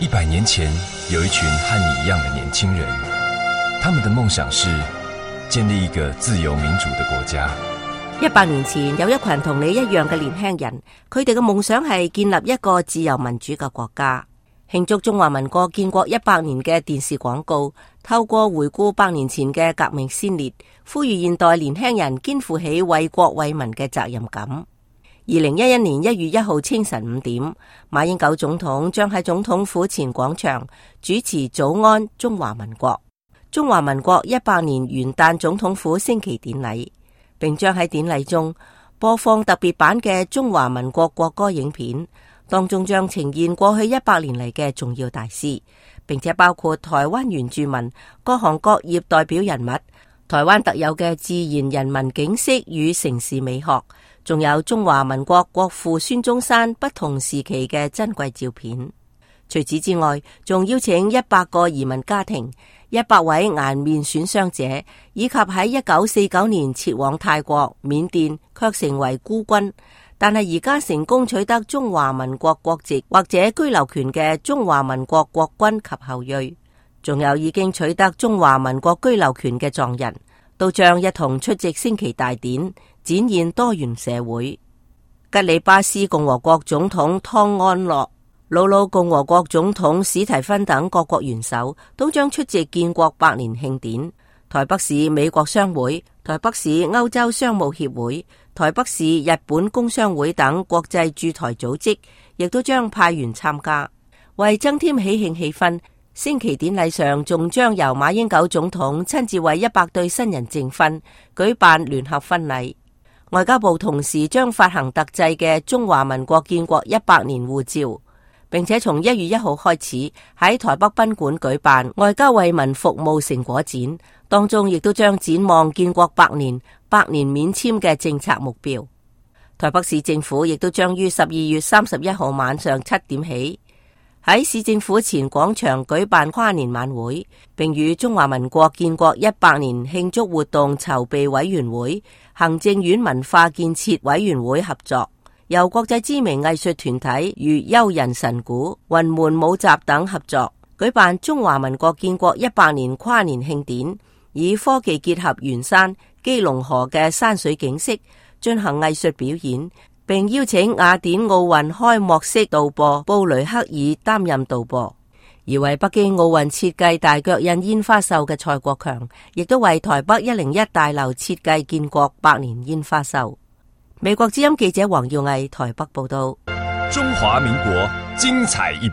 100年前，有一群和你一样的年輕人，他們的夢想是建立一個自由民主的國家。100年前，有一群同你一樣嘅年輕人，佢哋嘅夢想係建立一個自由民主嘅國家。慶祝中華民國建國100年嘅電視廣告，透過回顧100年前嘅革命先烈，呼籲現代年輕人肩負起為國為民嘅責任感。2011年1月1號清晨5點，馬英九總統將喺總統府前廣場主持早安中華民國中華民國100年元旦總統府升旗典禮，並將喺典禮中播放特別版嘅中華民國國歌影片，當中將呈現過去100年嚟嘅重要大事，並且包括台灣原住民、各行各業代表人物、台灣特有嘅自然人文景色與城市美學，仲有中華民國國父孫中山不同時期嘅珍貴照片。除此之外，仲邀請100個移民家庭、100位顏面損傷者，以及喺1949年撤往泰國、緬甸卻成為孤軍，但係而家成功取得中華民國國籍或者居留權嘅中華民國國軍及後裔，仲有已經取得中華民國居留權嘅藏人，都將一同出席升旗大典，展現多元社會。吉里巴斯共和國總統湯安諾、瑙魯共和國總統史提芬等各國元首都將出席建國100年慶典。台北市美國商會、台北市歐洲商務協會、台北市日本工商會等國際駐台組織亦都將派員參加。為增添喜慶氣氛，升旗典禮上仲將由馬英九總統親自為100對新人證婚，舉辦聯合婚禮。外交部同時將發行特製嘅中華民國建國100年護照，並且從1月1號開始喺台北賓館舉辦外交為民服務成果展，當中亦都將展望建國100年、100年免簽嘅政策目標。台北市政府亦都將於12月31號晚上7點起喺市政府前廣場舉辦跨年晚會，並與中華民國建國100年慶祝活動籌備委員會、行政院文化建設委員會合作，由國際知名藝術團體如優人神鼓、雲門舞集等合作，舉辦中華民國建國100年跨年慶典，以科技結合圓山、基隆河嘅山水景色，進行藝術表演，並邀請雅典奧運開幕式導播布雷克爾擔任導播。而為北京奧運設計大腳印煙花秀嘅蔡國強，亦都為台北101大樓設計建國100年煙花秀。美國之音記者黃耀毅台北報道。中華民國精彩100。